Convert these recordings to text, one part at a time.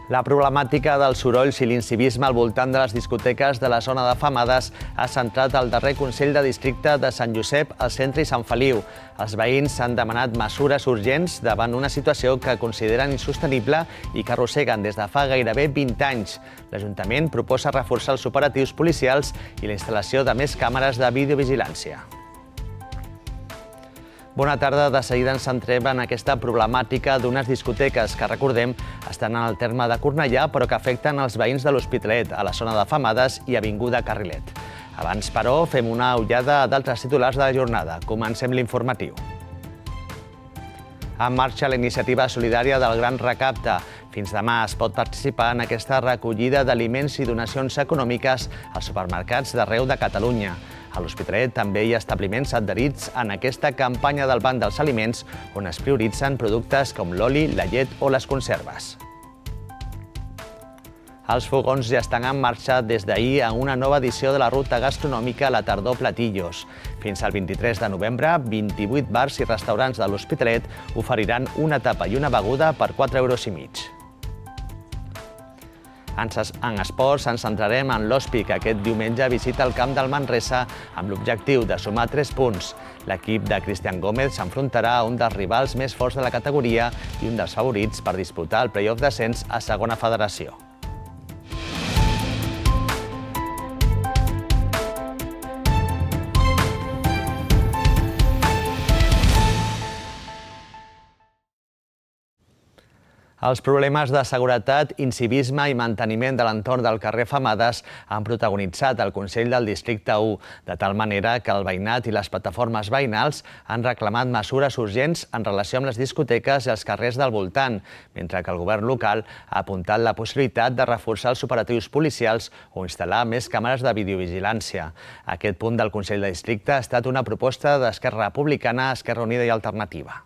La problemàtica dels sorolls i l'incivisme al voltant de les discoteques de la zona de Femades ha centrat el darrer Consell de Districte de Sant Josep, al centre i Sant Feliu. Els veïns han demanat mesures urgents davant una situació que consideren insostenible i que arrosseguen des de fa gairebé 20 anys. L'Ajuntament proposa reforçar els operatius policials i la instal·lació de més càmeres de videovigilància. Bona tarda. De seguida ens centrem en aquesta problemàtica d'unes discoteques que, recordem, estan en el terme de Cornellà, però que afecten els veïns de l'Hospitalet, a la zona de Femades i Avinguda Carrilet. Abans, però, fem una ullada d'altres titulars de la jornada. Comencem l'informatiu. En marxa la iniciativa solidària del Gran Recapte. Fins demà es pot participar en aquesta recollida d'aliments i donacions econòmiques als supermercats d'arreu de Catalunya. A l'Hospitalet també hi ha establiments adherits en aquesta campanya del Banc dels Aliments, on es prioritzen productes com l'oli, la llet o les conserves. Els fogons ja estan en marxa des d'ahir en una nova edició de la ruta gastronòmica La Tardor Platillos. Fins al 23 de novembre, 28 bars i restaurants de l'Hospitalet oferiran una tapa i una beguda per 4,5 €. En esports ens centrarem en l'Hospi, que aquest diumenge visita el camp del Manresa amb l'objectiu de sumar 3 punts. L'equip de Cristian Gómez s'enfrontarà a un dels rivals més forts de la categoria i un dels favorits per disputar el play-off d'ascens a Segona Federació. Els problemes de seguretat, incivisme i manteniment de l'entorn del carrer Femades han protagonitzat el Consell del Districte 1, de tal manera que el veïnat i les plataformes veïnals han reclamat mesures urgents en relació amb les discoteques i els carrers del voltant, mentre que el govern local ha apuntat la possibilitat de reforçar els operatius policials o instal·lar més càmeres de videovigilància. Aquest punt del Consell de Districte ha estat una proposta d'Esquerra Republicana, Esquerra Unida i Alternativa.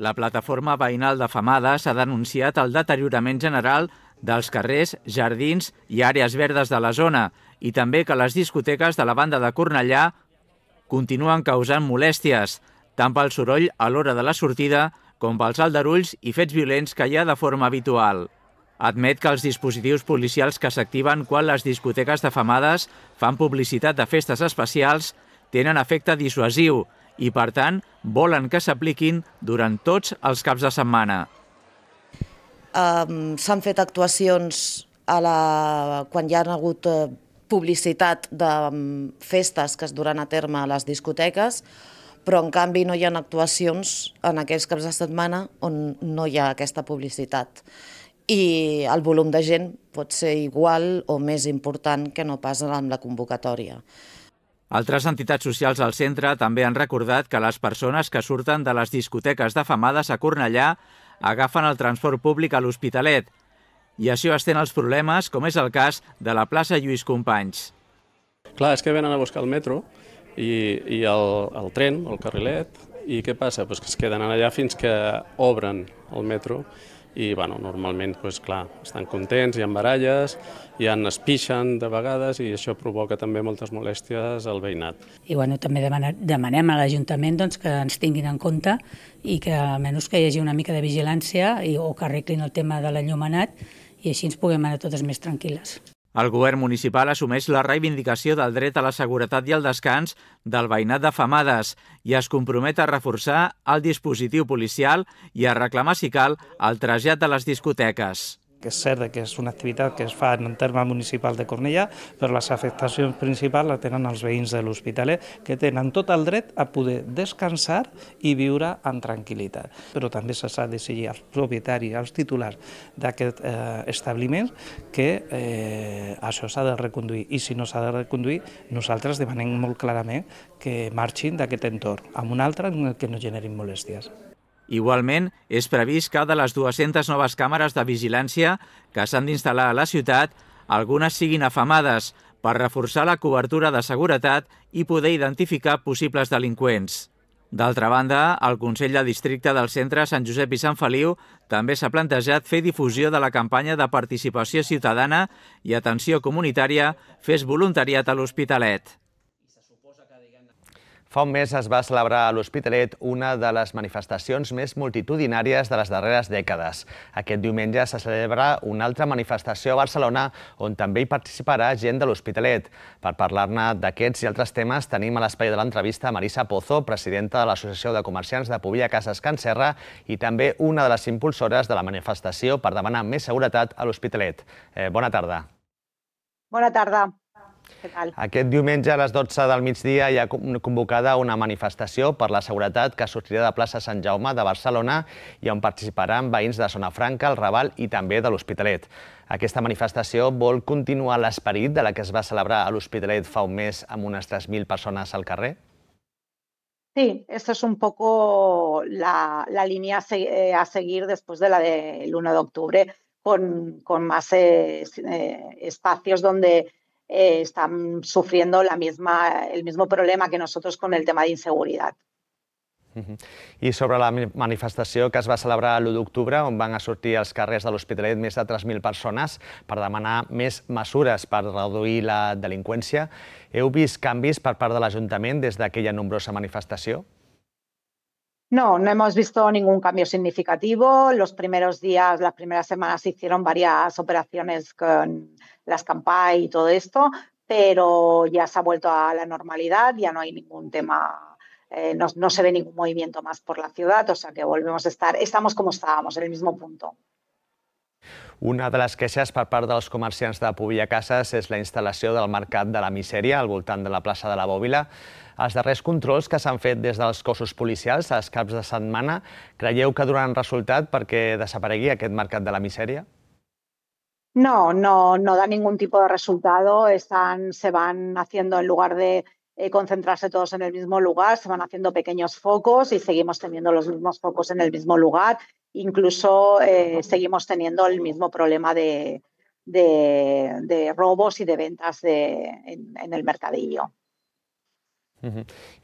La plataforma veïnal de Femades ha denunciat el deteriorament general dels carrers, jardins i àrees verdes de la zona i també que les discoteques de la banda de Cornellà continuen causant molèsties, tant pel soroll a l'hora de la sortida com pels aldarulls i fets violents que hi ha de forma habitual. Admet que els dispositius policials que s'activen quan les discoteques de Femades fan publicitat de festes especials tenen efecte dissuasiu i, per tant, volen que s'apliquin durant tots els caps de setmana. S'han fet actuacions quan hi ha hagut publicitat de festes que es duran a terme a les discoteques, però en canvi no hi ha actuacions en aquells caps de setmana on no hi ha aquesta publicitat. I el volum de gent pot ser igual o més important que no pas amb la convocatòria. Altres entitats socials al centre també han recordat que les persones que surten de les discoteques de Femades a Cornellà agafen el transport públic a l'Hospitalet i això estén els problemes, com és el cas de la plaça Lluís Companys. Clar, és que venen a buscar el metro i el tren, el carrilet, i què passa? Que es queden allà fins que obren el metro i normalment estan contents, hi ha baralles, es pixen de vegades i això provoca també moltes molèsties al veïnat. I també demanem a l'Ajuntament que ens tinguin en compte i que almenys que hi hagi una mica de vigilància o que arreglin el tema de l'enllumenat i així ens puguem anar totes més tranquil·les. El govern municipal assumeix la reivindicació del dret a la seguretat i al descans del veïnat de Femades i es compromet a reforçar el dispositiu policial i a reclamar, si cal, el trasllat de les discoteques. És cert que és una activitat que es fa en el terme municipal de Cornellà, però les afectacions principals les tenen els veïns de l'Hospitalet, que tenen tot el dret a poder descansar i viure en tranquil·litat. Però també s'ha d'exigir als propietaris, als titulars d'aquest establiment, que això s'ha de reconduir. I si no s'ha de reconduir, nosaltres demanem molt clarament que marxin d'aquest entorn, amb un altre en què no generin molèsties. Igualment, és previst que de les 200 noves càmeres de vigilància que s'han d'instal·lar a la ciutat, algunes siguin a Femades per reforçar la cobertura de seguretat i poder identificar possibles delinqüents. D'altra banda, el Consell de Districte del Centre Sant Josep i Sant Feliu també s'ha plantejat fer difusió de la campanya de participació ciutadana i atenció comunitària Fes voluntariat a l'Hospitalet. Fa un mes es va celebrar a l'Hospitalet una de les manifestacions més multitudinàries de les darreres dècades. Aquest diumenge se celebra una altra manifestació a Barcelona on també hi participarà gent de l'Hospitalet. Per parlar-ne d'aquests i altres temes tenim a l'espai de l'entrevista Marisa Pozo, presidenta de l'Associació de Comerciants de Pobilla Cases Can Serra i també una de les impulsores de la manifestació per demanar més seguretat a l'Hospitalet. Bona tarda. Bona tarda. Què tal? Aquest diumenge a les 12 del migdia hi ha convocada una manifestació per la seguretat que sortirà de plaça Sant Jaume de Barcelona i on participaran veïns de Zona Franca, el Raval i també de l'Hospitalet. Aquesta manifestació vol continuar l'esperit de la que es va celebrar a l'Hospitalet fa un mes amb unes 3.000 persones al carrer? Sí, esta es un poco la línea a seguir después de la del 1 de octubre, con más espacios donde están sufriendo el mismo problema que nosotros con el tema de inseguridad. I sobre la manifestació que es va celebrar l'1 d'octubre, on van sortir als carrers de l'Hospitalet més de 3.000 persones per demanar més mesures per reduir la delinqüència, heu vist canvis per part de l'Ajuntament des d'aquella nombrosa manifestació? No, no hemos visto ningún cambio significativo. Los primeros días, las primeras semanas se hicieron varias operaciones con las Campai y todo esto, pero ya se ha vuelto a la normalidad, ya no hay ningún tema, no se ve ningún movimiento más por la ciudad, o sea que volvemos a estamos como estábamos, en el mismo punto. Una de les queixes per part dels comerciants de Pobilla Cases és la instal·lació del Mercat de la Misèria al voltant de la plaça de la Bòbila. Els darrers controls que s'han fet des dels cossos policials als caps de setmana, creieu que donaran resultat perquè desaparegui aquest Mercat de la Misèria? No da ningún tipo de resultado. Se van haciendo, en lugar de concentrarse todos en el mismo lugar, se van haciendo pequeños focos y seguimos teniendo los mismos focos en el mismo lugar. Incluso seguimos teniendo el mismo problema de robos y de ventas en el mercadillo.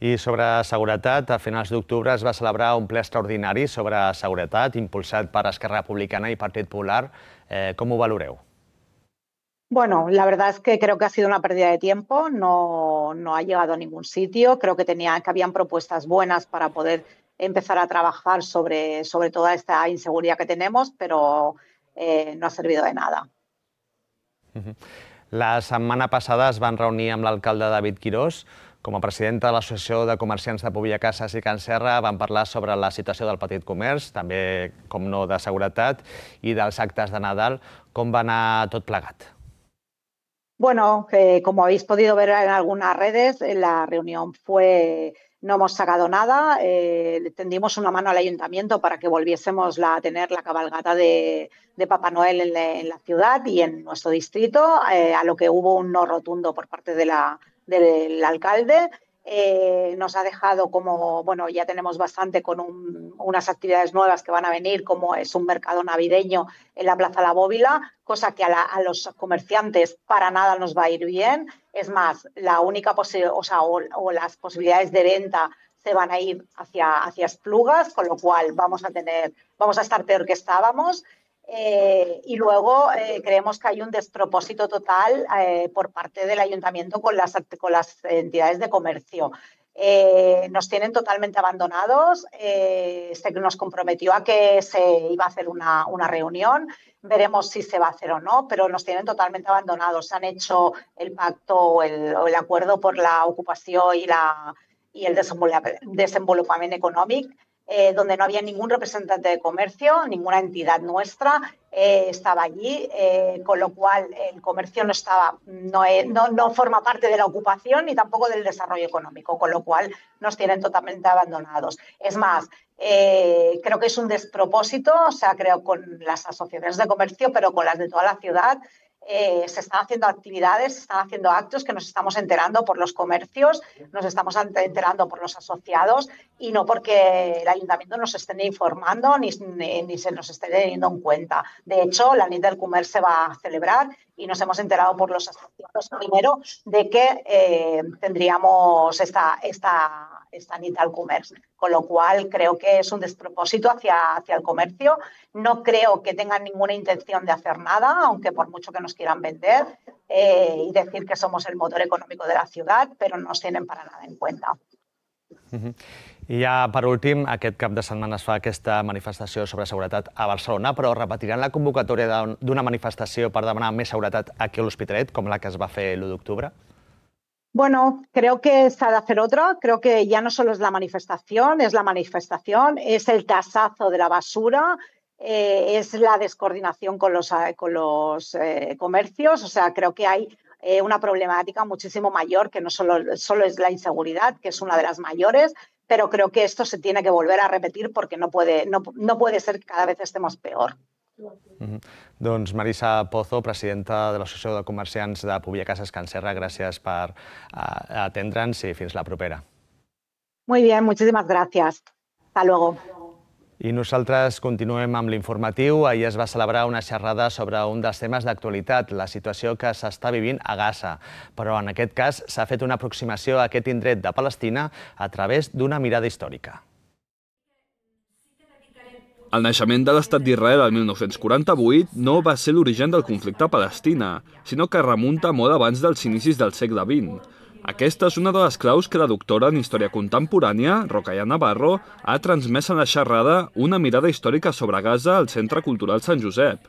I sobre seguretat, a finals d'octubre es va celebrar un ple extraordinari sobre seguretat impulsat per Esquerra Republicana i Partit Popular. Com ho valoreu? Bueno, la verdad es que creo que ha sido una pérdida de tiempo, no ha llegado a ningún sitio. Creo que habían propuestas buenas para poder empezar a trabajar sobre toda esta inseguridad que tenemos, pero no ha servido de nada. La setmana passada es van reunir amb l'alcalde David Quirós. Com a presidenta de l'Associació de Comerciants de Pobilla Cases i Can Serra van parlar sobre la situació del petit comerç, també, com no, de seguretat i dels actes de Nadal. Com va anar tot plegat? Bueno, como habéis podido ver en algunas redes, la reunión no hemos sacado nada, tendimos una mano al ayuntamiento para que volviésemos a tener la cabalgata de Papá Noel en la ciudad y en nuestro distrito, a lo que hubo un no rotundo por parte del alcalde. Nos ha dejado ya tenemos bastante con unas actividades nuevas que van a venir, como es un mercado navideño en la Plaza La Bóbila, cosa que a los comerciantes para nada nos va a ir bien. Es más, la única o las posibilidades de venta se van a ir hacia Esplugas, con lo cual vamos a estar peor que estábamos. Y luego creemos que hay un despropósito total por parte del ayuntamiento con las entidades de comercio. Nos tienen totalmente abandonados. Nos comprometió a que se iba a hacer una reunión. Veremos si se va a hacer o no, pero nos tienen totalmente abandonados. Han hecho el pacto o el acuerdo por la ocupación y el desenvolupament econòmic, donde no había ningún representante de comercio, ninguna entidad nuestra estaba allí, con lo cual el comercio no forma parte de la ocupación ni tampoco del desarrollo económico, con lo cual nos tienen totalmente abandonados. Es más, creo que es un despropósito, o sea, creo con las asociaciones de comercio, pero con las de toda la ciudad, se están haciendo actividades, se están haciendo actos que nos estamos enterando por los comercios, nos estamos enterando por los asociados y no porque el ayuntamiento nos esté informando ni se nos esté teniendo en cuenta. De hecho, la nit del comerç se va a celebrar y nos hemos enterado por los asociados primero de que tendríamos esta nit del comerç. Con lo cual, creo que es un despropósito hacia el comercio. No creo que tengan ninguna intención de hacer nada, aunque por mucho que nos quieran vender y decir que somos el motor económico de la ciudad, pero no nos tienen para nada en cuenta. I ja, per últim, aquest cap de setmana es fa aquesta manifestació sobre seguretat a Barcelona, però repetiran la convocatòria d'una manifestació per demanar més seguretat aquí a l'Hospitalet, com la que es va fer l'1 d'octubre? Bueno, creo que se ha de hacer otra. Creo que ya no solo es la manifestación, es el tasazo de la basura, es la descoordinación con los comercios. O sea, creo que hay una problemática muchísimo mayor, que no solo es la inseguridad, que es una de las mayores, pero creo que esto se tiene que volver a repetir porque no puede ser que cada vez estemos peor. Doncs Marisa Pozo, presidenta de l'Associació de Comerciants de Pubià Casas Can Serra, gràcies per atendre'ns i fins la propera. Muy bien, muchísimas gracias. Hasta luego. I nosaltres continuem amb l'informatiu. Ahir es va celebrar una xerrada sobre un dels temes d'actualitat, la situació que s'està vivint a Gaza. Però en aquest cas s'ha fet una aproximació a aquest indret de Palestina a través d'una mirada històrica. El naixement de l'Estat d'Israel el 1948 no va ser l'origen del conflicte a Palestina, sinó que remunta molt abans dels inicis del segle XX. Aquesta és una de les claus que la doctora en Història Contemporània, Rocaia Navarro, ha transmès en la xerrada Una mirada històrica sobre Gaza al Centre Cultural Sant Josep.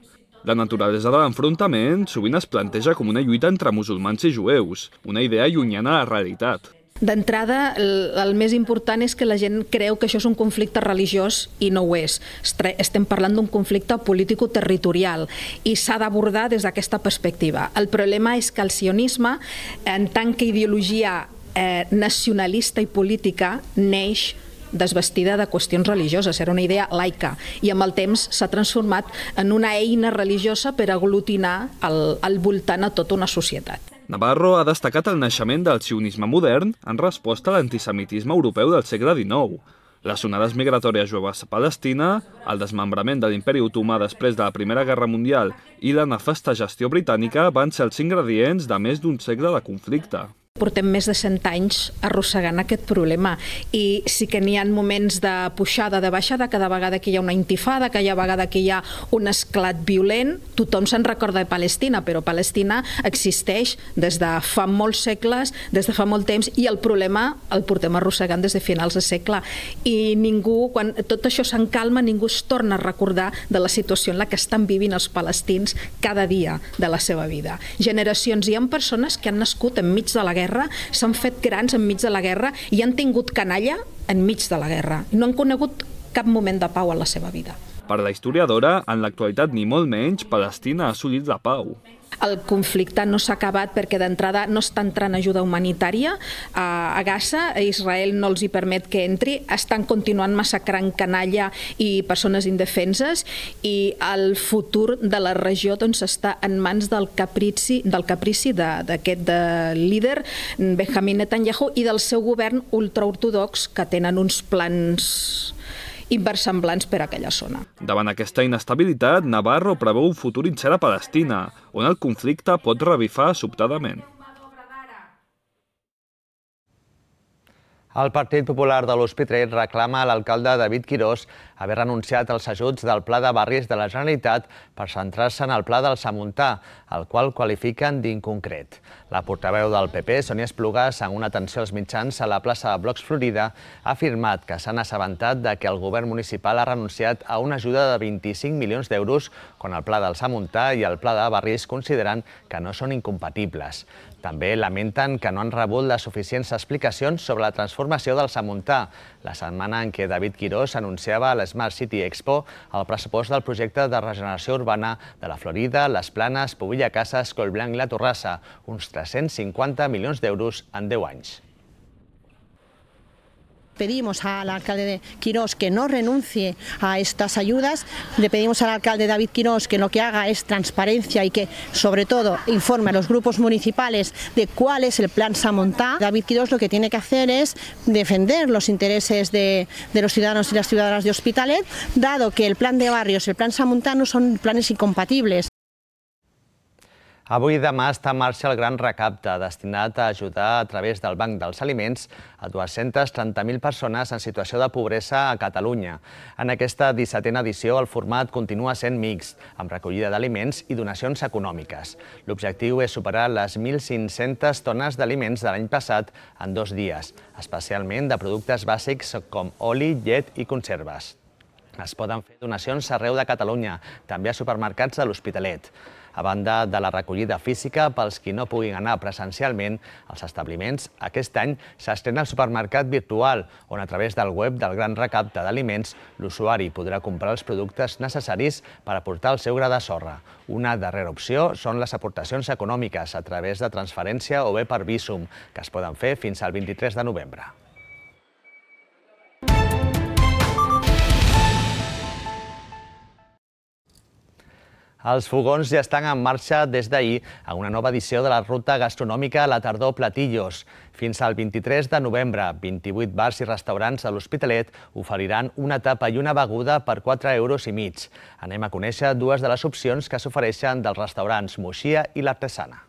La naturalesa de l'enfrontament sovint es planteja com una lluita entre musulmans i jueus, una idea llunyana a la realitat. D'entrada, el més important és que la gent creu que això és un conflicte religiós i no ho és. Estem parlant d'un conflicte político-territorial i s'ha d'abordar des d'aquesta perspectiva. El problema és que el sionisme, en tant que ideologia nacionalista i política, neix desvestida de qüestions religioses, era una idea laica i amb el temps s'ha transformat en una eina religiosa per aglutinar al voltant a tota una societat. Navarro ha destacat el naixement del sionisme modern en resposta a l'antisemitisme europeu del segle XIX. Les onades migratòries jueves a Palestina, el desmembrament de l'imperi otomà després de la Primera Guerra Mundial i la nefasta gestió britànica van ser els ingredients de més d'un segle de conflicte. Portem més de 100 anys arrossegant aquest problema i sí que n'hi ha moments de pujada, de baixada, cada vegada que hi ha una intifada, cada vegada que hi ha un esclat violent, tothom se'n recorda de Palestina, però Palestina existeix des de fa molts segles, des de fa molt temps, i el problema el portem arrossegant des de finals de segle. I ningú, quan tot això s'encalma, ningú es torna a recordar de la situació en la que estan vivint els palestins cada dia de la seva vida. Generacions, hi ha persones que han nascut enmig de la guerra, s'han fet grans enmig de la guerra i han tingut canalla enmig de la guerra. No han conegut cap moment de pau en la seva vida. Per la historiadora, en l'actualitat ni molt menys, Palestina ha assolit la pau. El conflicte no s'ha acabat perquè d'entrada no està entrant ajuda humanitària a Gaza, Israel no els hi permet que entri, estan continuant massacrant canalla i persones indefenses i el futur de la regió està en mans del caprici d'aquest líder Benjamin Netanyahu i del seu govern ultraortodox que tenen uns plans inversemblants per a aquella zona. Davant aquesta inestabilitat, Navarro preveu un futur incert a Palestina, on el conflicte pot revifar sobtadament. El Partit Popular de l'Hospitalet reclama a l'alcalde David Quirós haver renunciat als ajuts del Pla de Barris de la Generalitat per centrar-se en el Pla del Samuntà, el qual qualifiquen d'inconcret. La portaveu del PP, Sònia Esplugas, en una atenció als mitjans a la plaça de Blocs Florida, ha afirmat que s'han assabentat de que el govern municipal ha renunciat a una ajuda de 25 milions d'euros quan el Pla del Samuntà i el Pla de Barris consideren que no són incompatibles. També lamenten que no han rebut les suficients explicacions sobre la transformació del Samuntà, la setmana en què David Quirós anunciava a l'Smart City Expo el pressupost del projecte de regeneració urbana de la Florida, les Planes, Pubià Casas, Collblanc i la Torrassa, uns 350 milions d'euros en 10 anys. Pedimos al alcalde Quirós que no renuncie a estas ayudas, le pedimos al alcalde David Quirós que lo que haga es transparencia y que sobre todo informe a los grupos municipales de cuál es el plan Samuntà. David Quirós lo que tiene que hacer es defender los intereses de los ciudadanos y las ciudadanas de Hospitalet, dado que el plan de barrios y el plan Samuntà no son planes incompatibles. Avui i demà està en marxa el Gran Recapte, destinat a ajudar a través del Banc dels Aliments a 230.000 persones en situació de pobresa a Catalunya. En aquesta 17a edició el format continua sent mixt, amb recollida d'aliments i donacions econòmiques. L'objectiu és superar les 1.500 tones d'aliments de l'any passat en 2 dies, especialment de productes bàsics com oli, llet i conserves. Es poden fer donacions arreu de Catalunya, també a supermercats de l'Hospitalet. A banda de la recollida física, pels qui no puguin anar presencialment als establiments, aquest any s'estrena el supermercat virtual, on a través del web del Gran Recapte d'Aliments l'usuari podrà comprar els productes necessaris per aportar el seu gra de sorra. Una darrera opció són les aportacions econòmiques a través de transferència o bé per Bizum, que es poden fer fins al 23 de novembre. Els fogons ja estan en marxa des d'ahir a una nova edició de la ruta gastronòmica a la tardor Platillos. Fins al 23 de novembre, 28 bars i restaurants de l'Hospitalet oferiran una tapa i una beguda per 4,5 €. Anem a conèixer dues de les opcions que s'ofereixen dels restaurants Moixia i l'Artesana.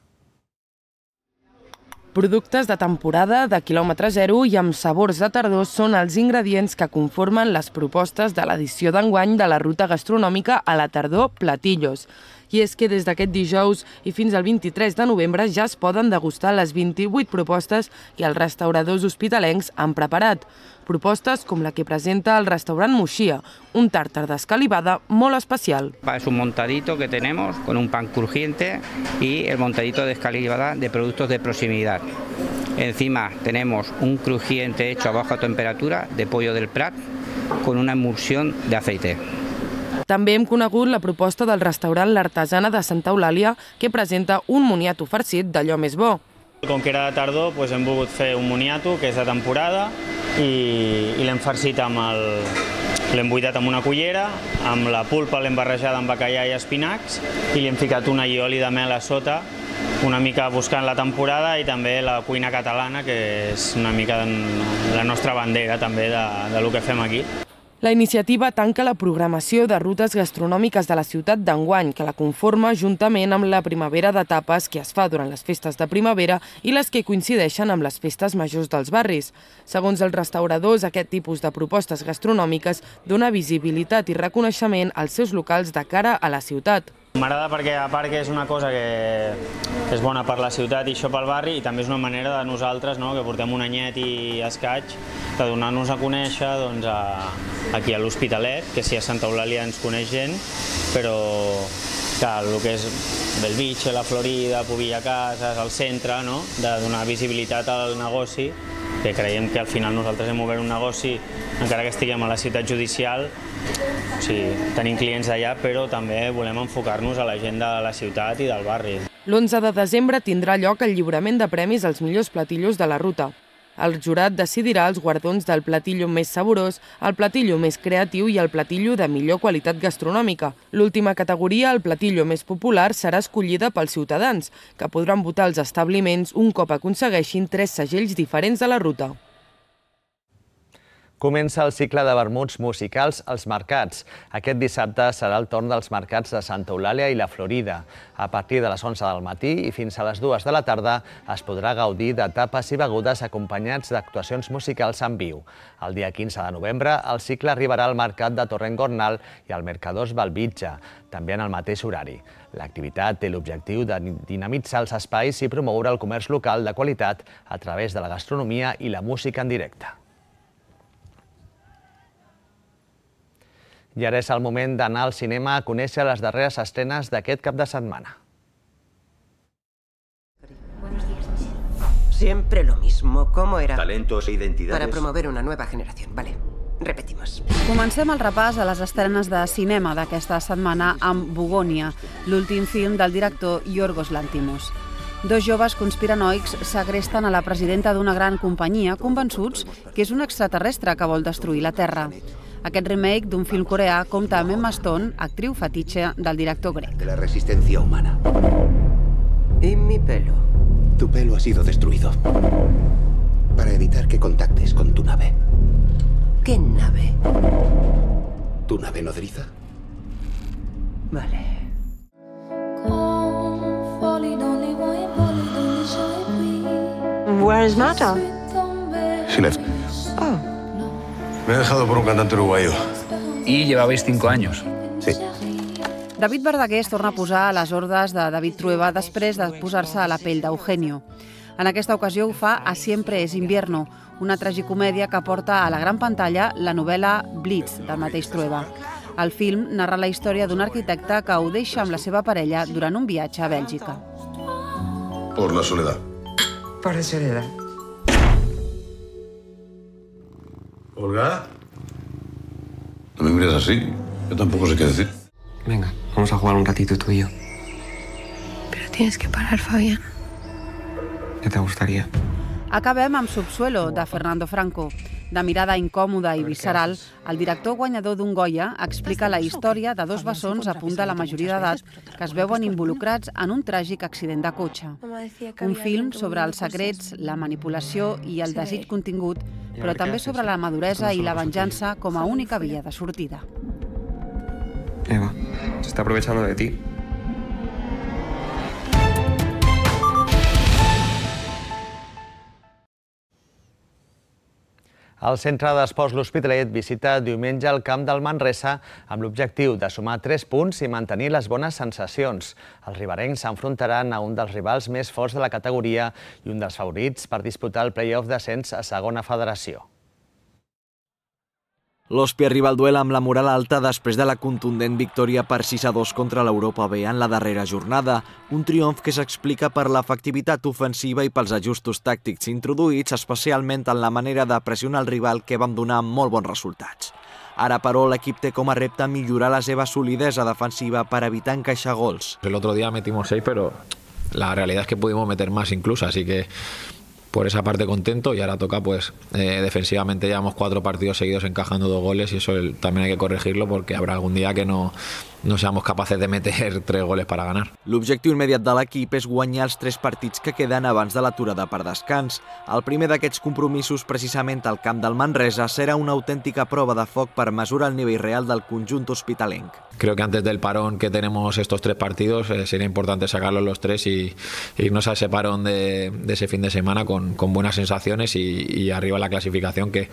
Productes de temporada, de quilòmetre zero i amb sabors de tardor són els ingredients que conformen les propostes de l'edició d'enguany de la ruta gastronòmica a la tardor Platillos. I és que des d'aquest dijous i fins al 23 de novembre ja es poden degustar les 28 propostes que els restauradors hospitalencs han preparat. Propostes com la que presenta el restaurant Moixia, un tàrtar d'escalivada molt especial. Es un montadito que tenemos con un pan crujiente y el montadito de escalivada de productos de proximidad. Encima tenemos un crujiente hecho a baja temperatura de pollo del Prat con una emulsión de aceite. També hem conegut la proposta del restaurant L'Artesana de Santa Eulàlia, que presenta un moniato farcit d'allò més bo. Com que era de tardor, hem volgut fer un moniato, que és de temporada, i l'hem farcit l'hem buidat amb una cullera, amb la pulpa l'hem barrejada amb bacallà i espinacs, i li hem ficat un allioli de mel a sota, una mica buscant la temporada i també la cuina catalana, que és una mica la nostra bandera també de lo que fem aquí. La iniciativa tanca la programació de rutes gastronòmiques de la ciutat d'enguany, que la conforma juntament amb la primavera de tapes que es fa durant les festes de primavera i les que coincideixen amb les festes majors dels barris. Segons els restauradors, aquest tipus de propostes gastronòmiques dona visibilitat i reconeixement als seus locals de cara a la ciutat. M'agrada perquè, a part que és una cosa que és bona per la ciutat i això pel barri, i també és una manera de nosaltres, que portem un anyet i escaig, de donar-nos a conèixer aquí a l'Hospitalet, que sí, a Santa Eulàlia ens coneix gent, però el que és Bellvitge, la Florida, Pobilla Cases, el centre, de donar visibilitat al negoci, que creiem que al final nosaltres hem obert un negoci, encara que estiguem a la ciutat judicial, o sigui, tenim clients d'allà, però també volem enfocar-nos a la gent de la ciutat i del barri. L'11 de desembre tindrà lloc el lliurament de premis als millors platillos de la ruta. El jurat decidirà els guardons del platillo més saborós, el platillo més creatiu i el platillo de millor qualitat gastronòmica. L'última categoria, el platillo més popular, serà escollida pels ciutadans, que podran votar als establiments un cop aconsegueixin 3 segells diferents de la ruta. Comença el cicle de vermuts musicals als mercats. Aquest dissabte serà el torn dels mercats de Santa Eulàlia i la Florida. A partir de les 11 del matí i fins a les 2 de la tarda es podrà gaudir de tapes i begudes acompanyats d'actuacions musicals en viu. El dia 15 de novembre el cicle arribarà al mercat de Torrent-Gornal i al Mercadors Bellvitge, també en el mateix horari. L'activitat té l'objectiu de dinamitzar els espais i promoure el comerç local de qualitat a través de la gastronomia i la música en directe. I ara és el moment d'anar al cinema a conèixer les darreres estrenes d'aquest cap de setmana. Siempre lo mismo. ¿Cómo era? Talentos e identidades. Para promover una nueva generación. Vale, repetimos. Comencem el repàs a les estrenes de cinema d'aquesta setmana amb Bugònia, l'últim film del director Yorgos Lanthimos. 2 joves conspiranoics segresten a la presidenta d'una gran companyia convençuts que és un extraterrestre que vol destruir la Terra. Aquest remake d'un film coreà compta amb Emma Stone, actriu fetitxe del director grec. De la resistencia humana. ¿Y mi pelo? Tu pelo ha sido destruido para evitar que contactes con tu nave. ¿Qué nave? ¿Tu nave nodriza? Vale. Where is Mata? She left. Oh. Me he dejado por un cantante uruguayo. Y llevabais 5 años. Sí. David Verdaguer es torna a posar a les ordres de David Trueba després de posar-se a la pell d'Eugenio. En aquesta ocasió ho fa a Siempre es invierno, una tragicomèdia que porta a la gran pantalla la novel·la Blitz, del mateix Trueba. El film narra la història d'un arquitecte que ho deixa amb la seva parella durant un viatge a Bèlgica. Por la soledad. Por la soledad. ¿Olga? No me mires así. Yo tampoco sé qué decir. Venga, vamos a jugar un ratito tú y yo. Pero tienes que parar, Fabián. ¿Qué te gustaría? Acabem amb Subsuelo, de Fernando Franco. De mirada incòmoda i visceral, el director guanyador d'un Goya explica la història de dos bessons a punt de la majoria d'edat que es veuen involucrats en un tràgic accident de cotxe. Un film sobre els secrets, la manipulació i el desig contingut, però també sobre la maduresa i la venjança com a única via de sortida. Eva, se está aprovechando de ti. El Centre d'Esports L'Hospitalet visita diumenge el camp del Manresa amb l'objectiu de sumar 3 punts i mantenir les bones sensacions. Els riberencs s'enfrontaran a un dels rivals més forts de la categoria i un dels favorits per disputar el play-off d'ascens a segona federació. L'Hospi arriba al duel amb la moral alta després de la contundent victòria per 6-2 contra l'Europa B en la darrera jornada. Un triomf que s'explica per l'efectivitat ofensiva i pels ajustos tàctics introduïts, especialment en la manera de pressionar el rival que van donar molt bons resultats. Ara, però, l'equip té com a repte millorar la seva solidesa defensiva per evitar encaixar gols. El otro día metimos 6, pero la realidad es que pudimos meter más incluso, así que por esa parte contento y ahora toca pues defensivamente llevamos 4 partidos seguidos encajando 2 goles y eso también hay que corregirlo porque habrá algún día que no seamos capaces de meter 3 goles para ganar. L'objectiu immediat de l'equip és guanyar els 3 partits que queden abans de l'aturada per descans. El primer d'aquests compromisos, precisament al camp del Manresa, serà una autèntica prova de foc per mesurar el nivell real del conjunt hospitalenc. Creo que antes del parón que tenemos estos 3 partidos sería importante sacarlos los 3 y irnos a ese parón de ese fin de semana con buenas sensaciones y arriba la clasificación, que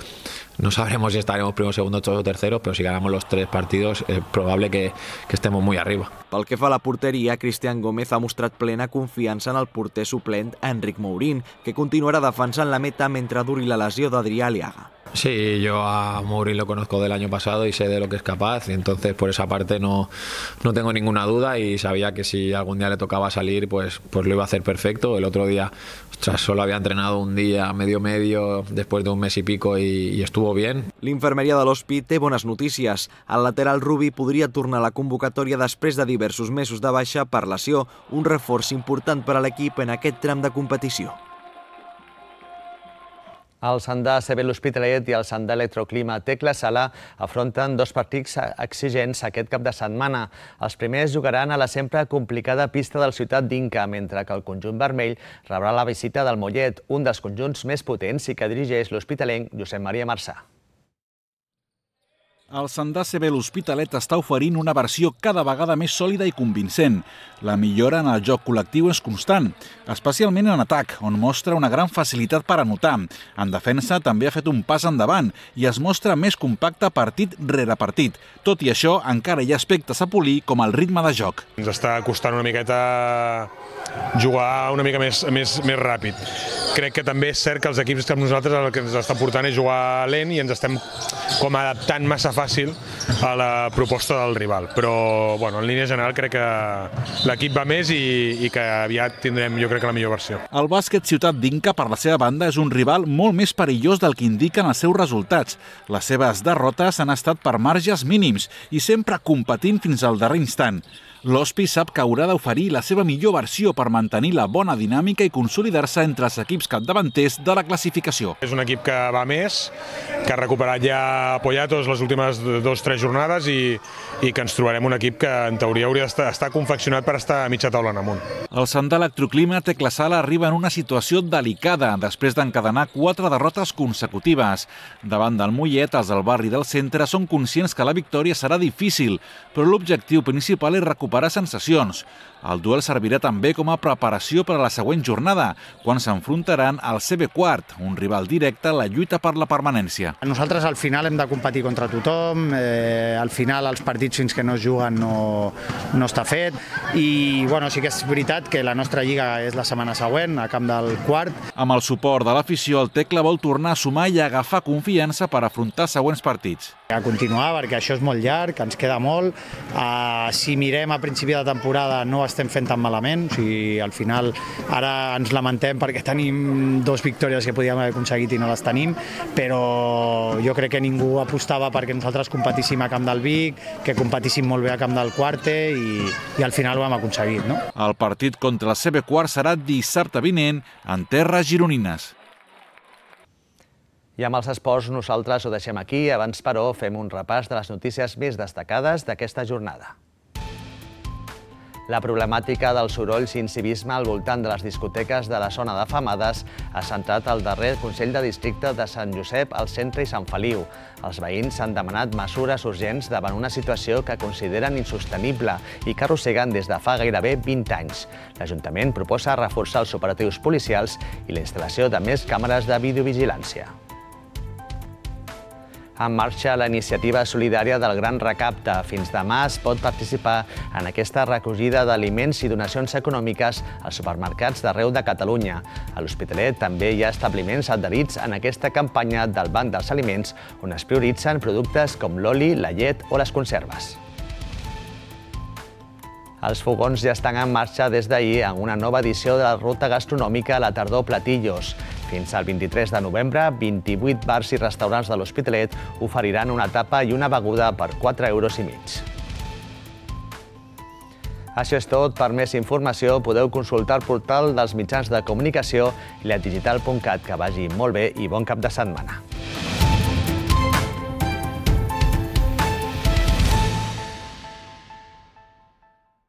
no sabremos si estaremos primero, segundo o tercero, pero si ganamos los 3 partidos es probable que estemos muy arriba. Pel que fa a la porteria, Cristian Gómez ha mostrat plena confiança en el porter suplent Enric Mourín, que continuarà defensant la meta mentre duri la lesió d'Adrià Aliaga. Sí, yo a Mourín lo conozco del año pasado y sé de lo que es capaz, y entonces por esa parte no tengo ninguna duda y sabía que si algún día le tocaba salir pues lo iba a hacer perfecto. El otro día solo había entrenado un día medio después de un mes y pico y estuvo bien. L'infermeria de l'Hospi té bones notícies. El lateral Rubi podria tornar a la convocatòria després de diversos mesos de baixa per lesió, un reforç important per a l'equip en aquest tram de El Sandà CB L'Hospitalet i el Sandà Electroclima Tecla Sala afronten 2 partits exigents aquest cap de setmana. Els primers jugaran a la sempre complicada pista del Ciutat d'Inca, mentre que el conjunt vermell rebrà la visita del Mollet, un dels conjunts més potents i que dirigeix l'hospitalenc Josep Maria Marçà. El Sandà CB L'Hospitalet està oferint una versió cada vegada més sòlida i convincent. La millora en el joc col·lectiu és constant, especialment en atac, on mostra una gran facilitat per anotar. En defensa també ha fet un pas endavant i es mostra més compacte partit rere partit. Tot i això, encara hi ha aspectes a polir com el ritme de joc. Ens està costant una miqueta jugar una mica més ràpid. Crec que també és cert que els equips que nosaltres el que ens està portant és jugar lent i ens estem com adaptant massa fàcil a la proposta del rival. Però en línia general crec que l'equip va més i que aviat tindrem, jo crec, la millor versió. El bàsquet Ciutat d'Inca, per la seva banda, és un rival molt més perillós del que indiquen els seus resultats. Les seves derrotes han estat per marges mínims i sempre competint fins al darrer instant. L'Hospi sap que haurà d'oferir la seva millor versió per mantenir la bona dinàmica i consolidar-se entre els equips capdavanters de la classificació. És un equip que va més, que ha recuperat ja Poyatos les últimes 2-3 jornades i que ens trobarem un equip que en teoria hauria d'estar confeccionat per estar a mitja taula en amunt. El Sandà Electroclima Tecla Sala arriba en una situació delicada després d'encadenar 4 derrotes consecutives. Davant del Mollet, els del barri del centre són conscients que la victòria serà difícil, però l'objectiu principal és recuperar recuperar sensacions. El duel servirà també com a preparació per a la següent jornada, quan s'enfrontaran al CB Quart, un rival directe a la lluita per la permanència. Nosaltres al final hem de competir contra tothom, al final els partits fins que no es juguen no està fet i sí que és veritat que la nostra lliga és la setmana següent, a camp del Quart. Amb el suport de l'afició, el Tecla vol tornar a sumar i agafar confiança per afrontar següents partits. A continuar, perquè això és molt llarg, ens queda molt. Si mirem a principi de temporada no estem fent tan malament, al final ara ens lamentem perquè tenim 2 victòries que podíem haver aconseguit i no les tenim, però jo crec que ningú apostava perquè nosaltres competíssim a camp del Vic, que competíssim molt bé a camp del Quarte i al final ho hem aconseguit. El partit contra el CB Quart serà dissabte vinent en terres gironines. I amb els esports nosaltres ho deixem aquí. Abans, però, fem un repàs de les notícies més destacades d'aquesta jornada. La problemàtica dels sorolls i incivisme al voltant de les discoteques de la zona de Femades ha centrat el darrer Consell de Districte de Sant Josep al centre i Sant Feliu. Els veïns han demanat mesures urgents davant una situació que consideren insostenible i que arrosseguen des de fa gairebé 20 anys. L'Ajuntament proposa reforçar els operatius policials i la instal·lació de més càmeres de videovigilància. En marxa la iniciativa solidària del Gran Recapte. Fins demà es pot participar en aquesta recollida d'aliments i donacions econòmiques als supermercats d'arreu de Catalunya. A l'Hospitalet també hi ha establiments adherits en aquesta campanya del Banc dels Aliments, on es prioritzen productes com l'oli, la llet o les conserves. Els fogons ja estan en marxa des d'ahir en una nova edició de la ruta gastronòmica a la tardor Platillos. Fins al 23 de novembre, 28 bars i restaurants de l'Hospitalet oferiran una tapa i una beguda per 4,5 €. Això és tot. Per més informació podeu consultar el portal dels mitjans de comunicació i ledigital.cat. Que vagi molt bé i bon cap de setmana.